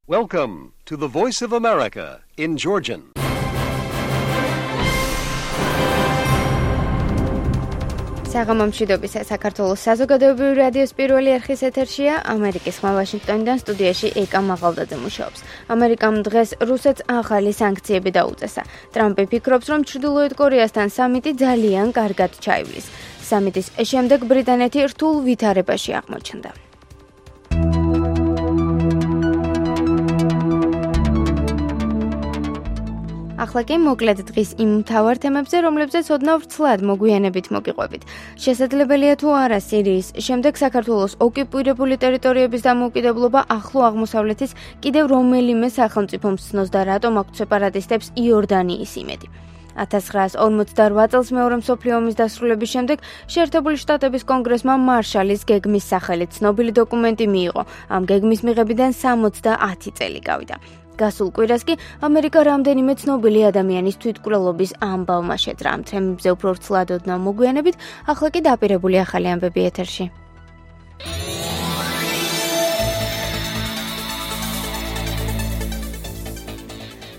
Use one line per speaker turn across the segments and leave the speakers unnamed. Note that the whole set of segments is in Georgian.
Welcome to the Voice of America in Georgian.
საღამომშვიდობისა საქართველოს საზოგადოებრივი რადიოს პირველი არხის ეთერშია ამერიკის ხმა ვაშინგტონიდან სტუდიაში ეკა მაღალდაძე მუშაობს. ამერიკამ დღეს რუსეთს ახალი სანქციები დაუწესა. ტრამპი ფიქრობს, რომ ჩრდილოეთ კორეასთან სამიტი ძალიან კარგად ჩაივლის. სამიტის შემდეგ ბრიტანეთი რთულ ვითარებაში აღმოჩნდა. ახლა კი მოკლედ დღის იმ მთავარ თემებზე, რომლებზეც ოდნავ ვრცლად მოგვიანებით მოგიყვებით. შესაძლებელია თუ არა სირიის შემდეგ საქართველოს ოკუპირებული ტერიტორიების დამოუკიდებლობა ახლო აღმოსავლეთის კიდევ რომელიმე სახელმწიფომ ცნოს და რატომ აქვთ სეპარატისტებს იორდანიის იმედი. 1948 წელს მეორე მსოფლიო ომის დასრულების შემდეგ შეერთებული შტატების კონგრესმა მარშალის გეგმის სახელით ცნობილი დოკუმენტი მიიღო. ამ გეგმის მიღებიდან 70 წელი გავიდა. გასულ კვირას კი ამერიკა რამდენიმე ცნობილი ადამიანის თვითმკვლელობის ამბავმა შეძრა. ამ თემებზე უფრო ვრცლად ოდნავ მოგვიანებით, ახლა კი დაპირებული ახალი ამბები ეთერში.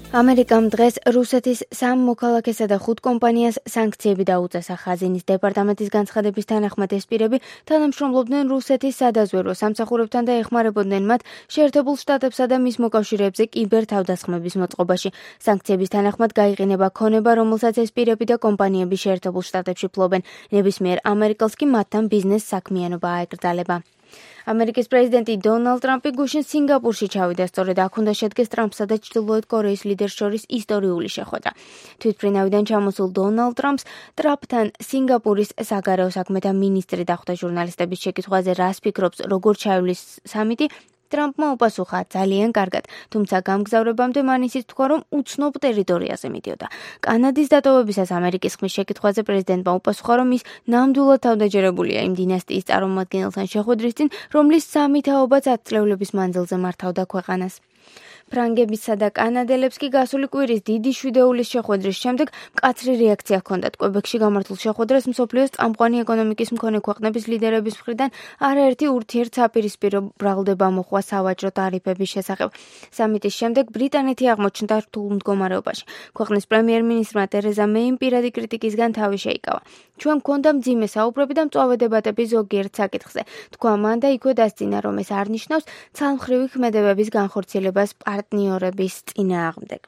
ამერიკამ დღეს რუსეთის 3 მოქალაქესა და 5 კომპანიას სანქციები დაუწესა. ხაზინის დეპარტამენტის განცხადების თანახმად ეს პირები თანამშრომლობდნენ რუსეთის სადაზვერვო სამსახურებთან და ეხმარებოდნენ მათ შეერთებულ შტატებსა და მის მოკავშირეებზე კიბერთავდასხმების მოწყობაში. სანქციების თანახმად გაიყინება ქონება, რომელსაც ეს პირები და კომპანიები შეერთებულ შტატებში ფლობენ. ნებისმიერ ამერიკელს კი მათთან ბიზნეს საქმიანობა აეკრძალება. ამერიკის პრეზიდენტი დონალდ ტრამპი გუშინ სინგაპურში ჩავიდა, სწორედ აქ უნდა შედგეს ტრამპსა და ჩრდილოეთ კორეის ლიდერს შორის ისტორიული შეხვედრა. თვითმფრინავიდან ჩამოსულ დონალდ ტრამპს ტრამპთან სინგაპურის საგარეო საქმეთა მინისტრი დახვდა. ჟურნალისტების შეკითხვაზე რას ფიქრობს, როგორ ჩაივლის სამიტი, ტრამპმა უპასუხა ძალიან კარგად, თუმცა გამგზავრებამდე მან ისიც თქვა, რომ უცნობ ტერიტორიაზე მიდიოდა. კანადის დატოვებისას ამერიკის ხმის შეკითხვაზე პრეზიდენტმა უპასუხა, რომ ის ნამდვილად თავდაჯერებულია იმ დინასტიის წარმომადგენელთან შეხვედრის წინ, რომლის სამი თაობაც 10 წლების მანძილზე მართავდა ქვეყანას. ფრანგებისა და კანადელებს კი გასული კვირის დიდი შვიდეულის შეხვედრის შემდეგ მკაცრი რეაქცია ჰქონდათ. კვებეკში გამართულ შეხვედრას მსოფლიოს წამყვანი ეკონომიკის მქონე ქვეყნების ლიდერების მხრიდან არაერთი ურთიერთსაპირისპირო ბრალდება მოხდა სავაჭრო ტარიფების შესახებ. სამიტის შემდეგ ბრიტანეთი აღმოჩნდა რთულ მდგომარეობაში. ქვეყნის პრემიერ-მინისტრმა ტერეზა მეიმ პირადი კრიტიკისგან თავი შეიკავა. ჩვენ გვქონდა მძიმე საუბრები და მწვავე დებატები ზოგიერთ საკითხზე. თქვა მან და იქვე დასძინა, რომ ეს არ ნიშნავს ცალმხრივი ქმედებების განხორციელებას პარტნიორების წინააღმდეგ.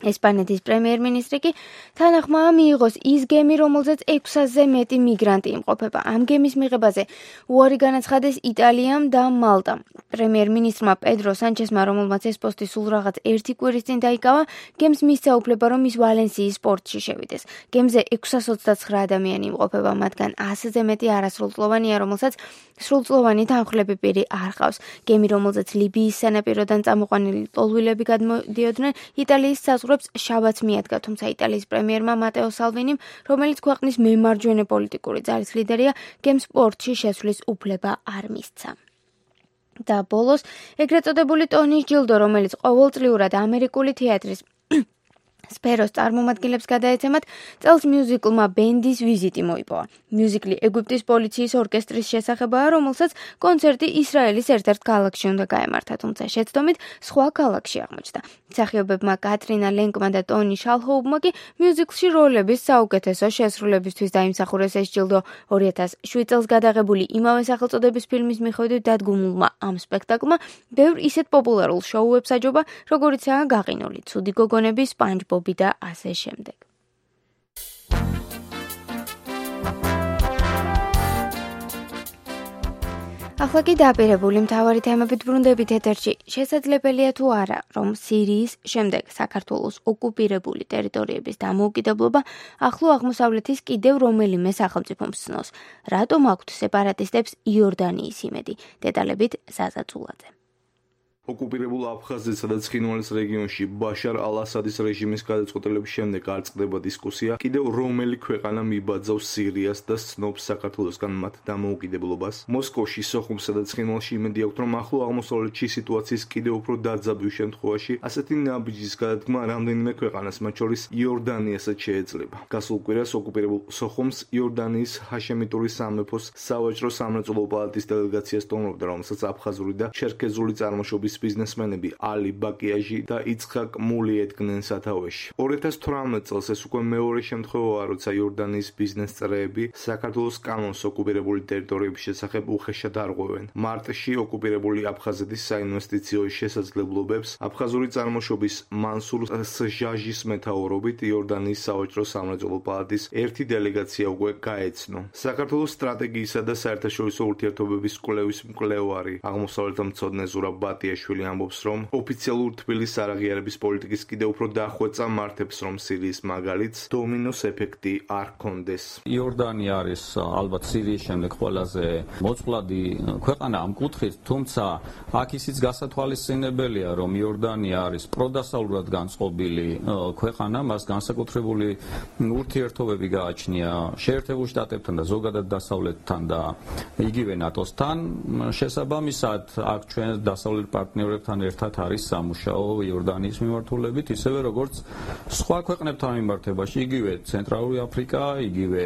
ესპანეთის პრემიერ-მინისტრი კი თანახმაა მიიღოს ის გემი, რომელზეც 600-ზე მეტი მიგრანტი იმყოფება. ამ გემის მიღებაზე უარი განაცხადეს იტალიამ და მალტამ. პრემიერ-მინისტრმა პედრო სანჩესმა, რომელმაც ეს პოსტი სულ რაღაც 1 კვირის წინ დაიკავა, გემს მისცა უფლება, რომ ის ვალენსიის პორტში შევიდეს. გემზე 629 ადამიანი იმყოფება, მათგან 100-ზე მეტი არასრულწლოვანია, რომელსაც სრულწლოვანი თანხლები პირი არ ჰყავს. გემი, რომელზეც ლიბიის სანაპიროდან წამოყვანილი ტოლვილები გადმოდიოდნენ, იტალიის საზღვრებს შაბათს მიადგა, თუმცა იტალიის პრემიერმა მატეო სალვინიმ, რომელიც ქვეყნის მემარჯვენე პოლიტიკური ძალის ლიდერია, გემს პორტში შესვლის უფლება არ მისცა. და ბოლოს, ეგრეთ წოდებული ტონის ჯილდო, რომელიც ყოველწლიურად ამერიკული თეატრის სფეროს წარმომადგენლებს გადაეცემათ, წელს მიუზიკლმა ბენდის ვიზიტი მოიპოვა. მიუზიკლი ეგვიპტის პოლიციის ორკესტრის შესახებაა, რომელსაც კონცერტი ისრაელის ერთ-ერთ ქალაქში უნდა გაემართა, თუმცა შეცდომით სხვა ქალაქში აღმოჩნდა. მსახიობებმა კატრინა ლენკმა და ტონი შალჰოუბმა კი მიუზიკლში როლების საუკეთესო შესრულებისთვის დაიმსახურეს ეს ჯილდო. 2007 წელს გადაღებული იმავე სახელწოდების ფილმის მიხედვით დადგმულმა ამ სპექტაკლმა ბევრ ისეთ პოპულარულ შოუებს აჯობა, როგორიცაა გაყინული ცუდი გოგონები, SpongeBob და ასე შემდეგ. ახლა კი დაპირებული მთავარი თემებით ბრუნდებით ეთერში. შესაძლებელია თუ არა, რომ სირიის შემდეგ საქართველოს ოკუპირებული ტერიტორიების დამოუკიდებლობა ახლო აღმოსავლეთის კიდევ რომელიმე სახელმწიფომ ცნოს. რატომ აქვთ სეპარატისტებს იორდანიის იმედი? დეტალებით ზაზა წულაძე.
ოკუპირებულ აფხაზეთსა და ცხინვალის რეგიონში ბაშარ ალ-ასადის რეჟიმის გადაწყვეტილების შემდეგ არ წყდება დისკუსია, კიდევ რომელი ქვეყანა მიბაძავს სირიას და ცნობს საქართველოსგან მათ დამოუკიდებლობას. მოსკოვში, სოხუმსა და ცხინვალში იმედი აქვთ, რომ ახლო აღმოსავლეთში სიტუაციის კიდევ უფრო დაძაბვის შემთხვევაში ასეთი ნაბიჯის გადადგმა რამდენიმე ქვეყანას, მათ შორის იორდანიასაც შეეძლება. გასულ კვირას ოკუპირებულ სოხუმს იორდანიის ჰაშემიტური სამეფოს სავაჭრო სამრეწველო პალატის დელეგაცია სტუმრობდა, რომელსაც აფხაზური და ჩერქეზული წარმოშობის ბიზნესმენები ალი ბაკიაჟი და იცხაკ მული ედგნენ სათავეში. 2018 წელს ეს უკვე მეორე შემთხვევაა, როცა იორდანიის ბიზნეს წრეები საქართველოს კანონს ოკუპირებული ტერიტორიების შესახებ უხეშად არღვევენ. მარტში ოკუპირებული აფხაზეთის საინვესტიციო შესაძლებლობებს აფხაზური წარმოშობის მანსურ სჟაჟის მეთაურობით იორდანიის სავაჭრო სამრეწველო პალატის ერთი დელეგაცია უკვე გაეცნო. საქართველოს სტრატეგიისა და საერთაშორისო ურთიერთობების კვლევის მკვლევარი აღმოსავლეთმცოდნე ზურაბ ბატიაშვილი ამბობს, რომ ოფიციალურ თბილისის არაღიარების პოლიტიკის კიდევ უფრო დახვეწა მართებს, რომ სირიის მაგალითს დომინოს ეფექტი არ ჰქონდეს.
იორდანია არის ალბათ სირიის შემდეგ ყველაზე მოწყვლადი ქვეყანა ამ კუთხით, თუმცა აქ ისიც გასათვალისწინებელია, რომ იორდანია არის პროდასავლურად განწყობილი ქვეყანა, მას განსაკუთრებული ურთიერთობები გააჩნია შეერთებულ შტატებთან და ზოგადად დასავლეთთან და იგივე ნატოსთან. შესაბამისად, აქ ჩვენ დასავლეთ პარტნიორებთან ერთად არის სამუშაო იორდანიის მიმართულებით, ისევე როგორც სხვა ქვეყნებთან მიმართებაში, იგივე ცენტრალური აფრიკა, იგივე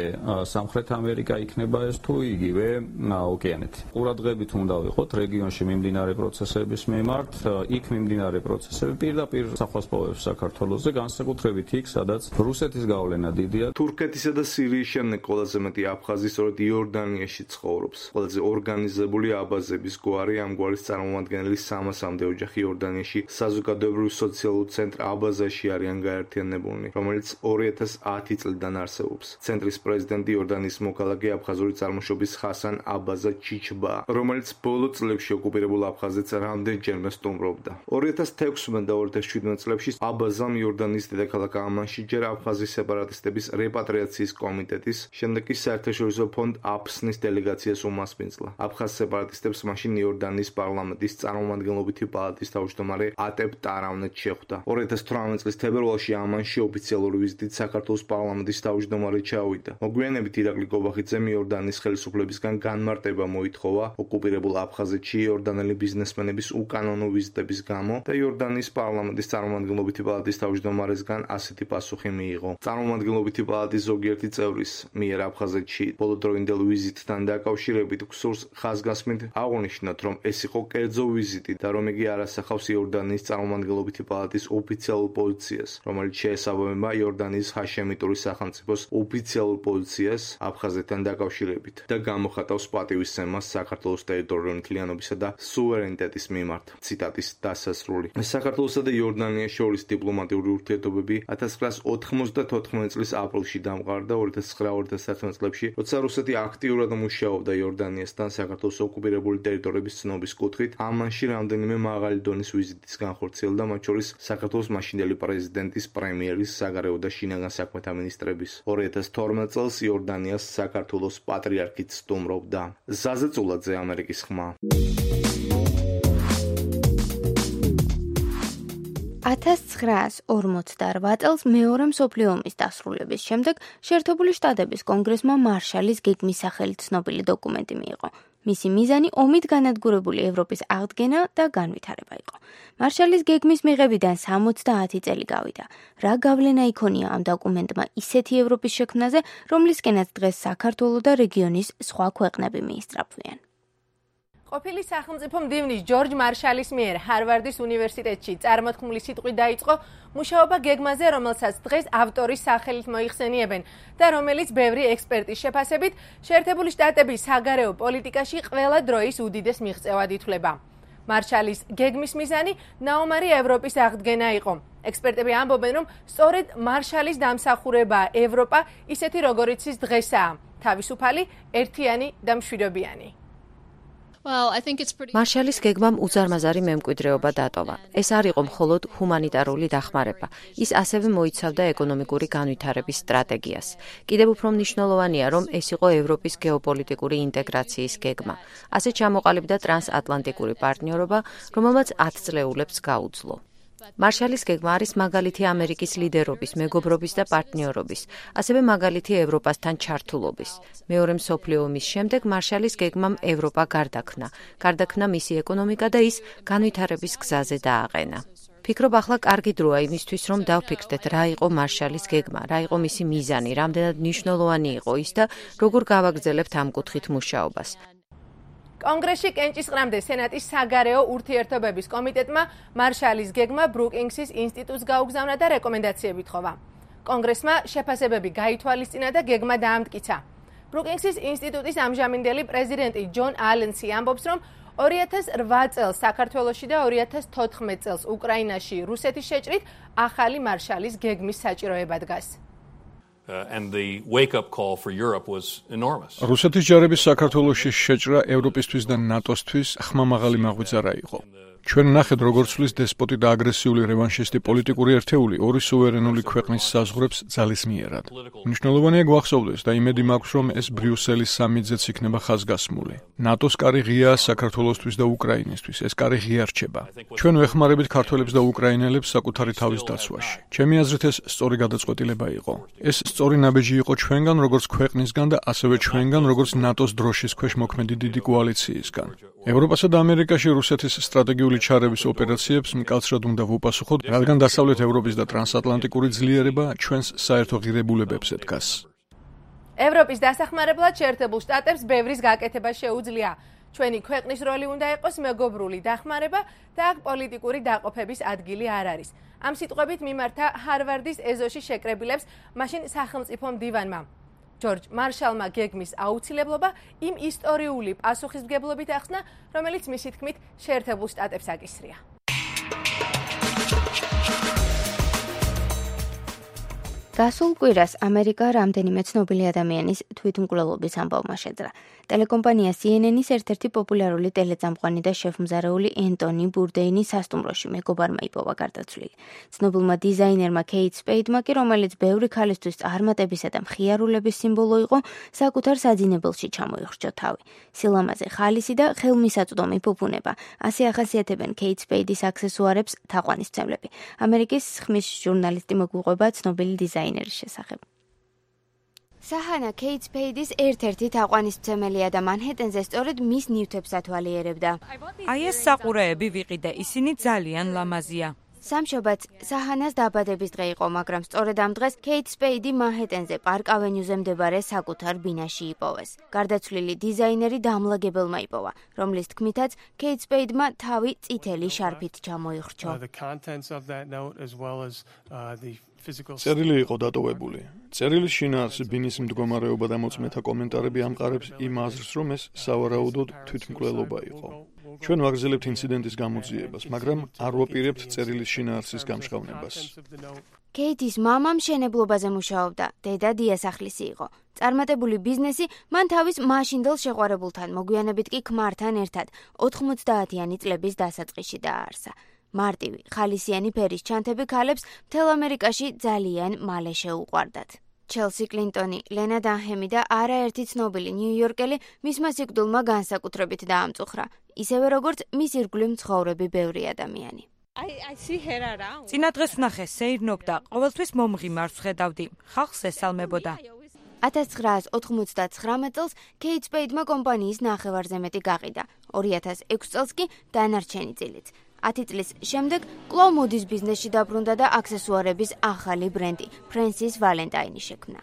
სამხრეთ ამერიკა იქნება ეს თუ იგივე ოკეანეთი. ყურადღებით უნდა ვიყოთ რეგიონში მიმდინარე პროცესების მიმართ, იქ მიმდინარე პროცესები პირდაპირ სახვას პოვებს საქართველოსზე, განსაკუთრებით იქ, სადაც რუსეთის გავლენა დიდია.
თურქეთისა და სირიის შემდეგ ყველაზე მეტი აფხაზი სწორედ იორდანიაში ცხოვრობს. ყველაზე ორგანიზებული აბაზების გვარი ამ გვარის წარმომადგენელი 300-მდე ოჯახი იორდანიაში საზოგადოებრივ სოციალურ ცენტრ აბაზაში არიან გაერთიანებულნი, რომელიც 2010 წლიდან არსებობს. ცენტრის პრეზიდენტი იორდანიის მოქალაქე აფხაზური წარმოშობის ხასან აბაზა ჩიჩბა, რომელიც ბოლო წლებში ოკუპირებულ აფხაზეთს რამდენჯერმე სტუმრობდა. 2016 და 2017 წლებში აბაზამ იორდანიის დედაქალაქ ამანში ჯერ აფხაზის სეპარატისტების რეპატრიაციის კომიტეტის, შემდეგ კი საერთაშორისო ფონდ აფსნის დელეგაციას უმასპინძლა. აფხაზ სეპარატისტებს მაშინ იორდანიის პარლამენტის წარმომადგენლობითი პალატის თავმჯდომარე ატებ ტარავნეთ შეხვდა. 2018 წლის თებერვალში ამანში ოფიციალური ვიზიტით საქართველოს პარლამენტის თავმჯდომარე ჩავიდა. მოგვიანებით ირაკლი კობახიძემ იორდანიის ხელისუფლებისგან განმარტება მოითხოვა ოკუპირებულ აფხაზეთში იორდანელი ბიზნესმენების უკანონო ვიზიტების გამო და იორდანიის პარლამენტის წარმომადგენლობითი პალატის თავმჯდომარესგან ასეთი პასუხი მიიღო. წარმომადგენლობითი პალატის ზოგიერთი წევრის მიერ აფხაზეთში ბოლოდროინდელ ვიზიტთან დაკავშირებით გსურს ხაზგასმით აღნიშნოთ, რომ ეს იყო კერძო ვიზიტი და რომ იგი არ ასახავს იორდანიის წარმომადგენლობითი პალატის ოფიციალურ პოზიციას, რომელიც შეესაბამება იორდანიის ჰაშემიტური სახელმწიფოს ოფიციალურ პოზიციას აფხაზეთთან დაკავშირებით და გამოხატავს პატივისცემას საქართველოს ტერიტორიული მთლიანობისა და სუვერენიტეტის მიმართ. ციტატის დასასრული. საქართველოსა და იორდანიას შორის დიპლომატიური ურთიერთობები 1994 წლის აპრილში დამყარდა 2009-2011 წლებში, როცა რუსეთი აქტიურად მუშაობდა იორდანიასთან საქართველოს ოკუპირებული ტერიტორიების ცნობის კუთხით, ამანში რამდენიმე მაღალი დონის ვიზიტის განხორციელდა, მათ შორის საქართველოს მაშინდელი პრეზიდენტის, პრემიერის, საგარეო და შინაგან საქმეთა მინისტრების. 2012 წელს იორდანიას საქართველოს პატრიარქიც სტუმრობდა. ზაზე წულაძე, ამერიკის ხმა.
1948 წელს მეორე მსოფლიო ომის დასრულების შემდეგ შეერთებული შტატების კონგრესმა მარშალის გეგმის სახელით ცნობილი დოკუმენტი მიიღო. მისი მიზანი ომით განადგურებული ევროპის აღდგენა და განვითარება იყო. მარშალის გეგმის მიღებიდან 70 წელი გავიდა. რა გავლენა იქონია ამ დოკუმენტმა ისეთი ევროპის შექმნაზე, რომლისკენაც დღეს საქართველო და რეგიონის სხვა ქვეყნები მიისწრაფვიან.
ყოფილი სახელმწიფო მდივნის ჯორჯ მარშალის მიერ ჰარვარდის უნივერსიტეტში წარმოთქმული სიტყვით დაიწყო მუშაობა გეგმაზე, რომელსაც დღეს ავტორის სახელით მოიხსენიებენ და რომელიც ბევრი ექსპერტის შეფასებით შეერთებული შტატების საგარეო პოლიტიკაში ყველა დროის უდიდეს მიღწევად ითვლება. მარშალის გეგმის მიზანი ნაომარი ევროპის აღდგენა იყო. ექსპერტები ამბობენ, რომ სწორედ მარშალის დამსახურებაა ევროპა ისეთი როგორიც ის დღესაა, თავისუფალი, ერთიანი და მშვიდობიანი.
მარშალის გეგმამ უზარმაზარი მემკვიდრეობა დატოვა. ეს არ იყო მხოლოდ ჰუმანიტარული დახმარება. ის ასევე მოიცავდა ეკონომიკური განვითარების სტრატეგიას. კიდევ უფრო მნიშვნელოვანია, რომ ეს იყო ევროპის გეოპოლიტიკური ინტეგრაციის გეგმა. ასე ჩამოყალიბდა ტრანსატლანტიკური პარტნიორობა, რომელმაც 10 წლეულებს გაუძლო. მარშალის გეგმა არის მაგალითი ამერიკის ლიდერობის, მეგობრობის და პარტნიორობის, ასევე მაგალითი ევროპასთან ჩართულობის. მეორე მსოფლიო ომის შემდეგ მარშალის გეგმამ ევროპა გარდაქმნა მისი ეკონომიკა და ის განვითარების გზაზე დააყენა. ფიქრობ, ახლა კარგი დროა იმისთვის, რომ დავფიქრდეთ, რა იყო მარშალის გეგმა, რა იყო მისი მიზანი, რამდენად მნიშვნელოვანი იყო ის და როგორ გავაგრძელებთ ამ კუთხით მუშაობას.
კონგრესში კენჭისყრამდე სენატის საგარეო ურთიერთობების კომიტეტმა მარშალის გეგმა ბრუკინგსის ინსტიტუტს გაუგზავნა და რეკომენდაციები თხოვა. კონგრესმა შეფასებები გაითვალისწინა და გეგმა დაამტკიცა. ბრუკინგსის ინსტიტუტის ამჟამინდელი პრეზიდენტი ჯონ ალენსი ამბობს, რომ 2008 წელს საქართველოში და 2014 წელს უკრაინაში რუსეთის შეჭრით ახალი მარშალის გეგმის საჭიროება დგას.
And the wake-up call for Europe was enormous.
რუსეთის ჯარების საქართველოში შეჭრა ევროპისთვის და ნატოსთვის ხმამაღალი მაღვიძარა იყო. ჩვენ ნახეთ, როგორ ცვლის დესპოტი და აგრესიული რევანშისტი პოლიტიკური ერთეული ორი სუვერენული ქვეყნის საზღვრებს ძალისმიერად. მნიშვნელოვანია გვახსოვდეს და იმედი მაქვს, რომ ეს ბრიუსელის სამიტზეც იქნება ხაზგასმული. ნატოს კარი ღიაა საქართველოსთვის და უკრაინისთვის, ეს კარი ღია რჩება. ჩვენ ვეხმარებით ქართველებს და უკრაინელებს საკუთარი თავის დაცვაში. ჩემი აზრით ეს სწორი გადაწყვეტილება იყო. ეს სწორი ნაბეჯი იყო ჩვენგან, როგორც ქვეყნისგან და ასევე ჩვენგან, როგორც ნატოს დროშის ქვეშ მოქმედი დიდი კოალიციისგან. ევროპასა და ამერიკაში რუსეთის სტრატეგიული ჩარევის ოპერაციებს მკაცრად უნდა ვუპასუხოთ, რადგან დასავლეთ ევროპის და ტრანსატლანტიკური ძლიერება ჩვენს საერთო ღირებულებებზე დგას.
ევროპის დასახმარებლად შეერთებულ შტატებს ბევრის გაკეთება შეუძლია. ჩვენი ქვეყნის როლი უნდა იყოს მეგობრული დახმარება და აქ პოლიტიკური დაყოფების ადგილი არ არის. ამ სიტყვებით მიმართა ჰარვარდის ეზოში შეკრებილებს მაშინ სახელმწიფო მდივანმა. ჯორჯ მარშალმა გეგმის აუცილებლობა იმ ისტორიული პასუხისმგებლობით ახსნა, რომელიც მისი თქმით შეერთებულ შტატებს აკისრია.
გასულ კვირას ამერიკა რამდენიმე ცნობილი ადამიანის თვითმკვლელობის ამბავმა შეძრა. ტელეკომპანია CNN-ის ერთ-ერთი პოპულარული ტელეწამყვანი და შეფმზარეული ენტონი ბურდეინი სასტუმროში მეგობარმა იპოვა გარდაცვლილი. ცნობილმა დიზაინერმა კეით სპეიდმა კი, რომელიც ბევრი ქალისთვის წარმატებისა და მხიარულების სიმბოლო იყო, საკუთარ საძინებელში ჩამოიხრჩა თავი. სილამაზე ხალისი და ხელმისაწვდომი ფუფუნება. ასე ახასიათებენ კეით სპეიდის აქსესუარებს თაყვანისმცემლები. ამერიკის ხმის ჟურნალისტი მოგვიყვება ცნობილი დიზაინერის შესახებ. საჰანა კეით სპეიდის ერთ-ერთი თაყვანისმცემელია და მანჰეტენზე სწორედ მის ნივთებს ათვალიერებდა.
აი ეს საყურეები ვიყიდე, ისინი ძალიან ლამაზია.
სამშობაც საჰანას დაბადების დღე იყო, მაგრამ სწორედ ამ დღეს კეით სპეიდი მანჰეტენზე პარკ ავენიუზე მდებარე საკუთარ ბინაში იპოვეს. გარდაცვლილი დიზაინერი დამლაგებელმა იპოვა, რომლის თქმითაც კეით სპეიდმა თავი წითელი შარფით ჩამოიხრჩო.
წერილი იყო დატოვებული. წერილის შინაარსი, ბინის მდგომარეობა და მოწმეთა კომენტარები ამყარებს იმ აზრს, რომ ეს სავარაუდოდ თვითმკვლელობა იყო. ჩვენ ვაგრძელებთ ინციდენტის გამოძიებას, მაგრამ არ ვაპირებთ წერილის შინაარსის გამჟღავნებას.
კეითის მამა მშენებლობაზე მუშაობდა, დედა დიასახლისი იყო. წარმატებული ბიზნესი მან თავის მაშინდელ შეყვარებულთან, მოგვიანებით კი ქმართან ერთად 90-იანი წლების დასაწყისში დააარსა. მარტივი, ხალისიანი ფერის ჩანთები ქალებს მთელ ამერიკაში ძალიან მალე შეუყვარდათ. ჩელსი კლინტონი, ლენა დანჰემი და არაერთი ცნობილი ნიუ-იორკელი მისმა სიკვდილმა განსაკუთრებით დაამწუხრა, ისევე როგორც მის ირგვლივ მცხოვრები ბევრი ადამიანი.
წინა დღეს ვნახე, სეირნობდა, ყოველთვის მომღიმარს ხედავდი, ხალხს ესალმებოდა.
1999 წელს კეით სპეიდმა კომპანიის ნახევარზე მეტი გაყიდა, 2006 წელს კი დანარჩენი წილიც. 10 წლის შემდეგ კვლავ მოდის ბიზნესში დაბრუნდა და აქსესუარების ახალი ბრენდი, ფრენსის ვალენტაინი შექმნა.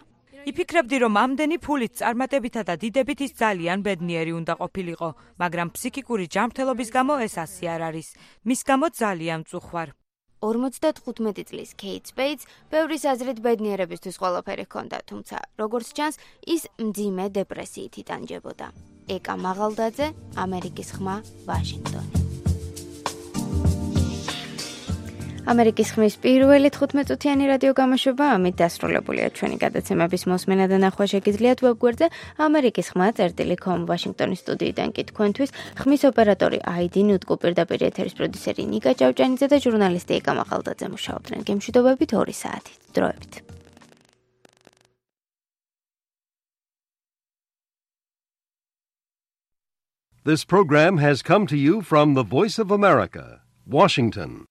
იფიქრებდი, რომ ამდენი ფულით, წარმატებითა და დიდებით ის ძალიან ბედნიერი უნდა ყოფილიყო, მაგრამ ფსიქიკური ჯანმრთელობის გამო ეს ასე არ არის. მის გამო ძალიან წუხვარ.
55 წლის კეით სპეიდს ბევრის აზრით ბედნიერებისთვის ყველაფერი ჰქონდა, თუმცა როგორც ჩანს, ის მძიმე დეპრესიით იტანჯებოდა. ეკა მაღალდაძე, ამერიკის ხმა, ვაშინგტონი. ამერიკის ხმის პირველი 15-წუთიანი რადიო გამოშვება ამით დასრულებულია. ჩვენი გადაცემების მოსმენა და ნახვა შეგიძლიათ ვებგვერდზე amerikiskhma.com ვაშინგტონის სტუდიიდან კი თქვენთვის ხმის ოპერატორი აიდი ნუტკუ, პირდაპირ ეთერის პროდიუსერი ნიკა ჭავჭანიძე და ჟურნალისტი ეკა მაღალდაძე მუშაობდნენ. გემშვიდობებით 2 საათით. დროებით.
This program has come to you from the Voice of America, Washington.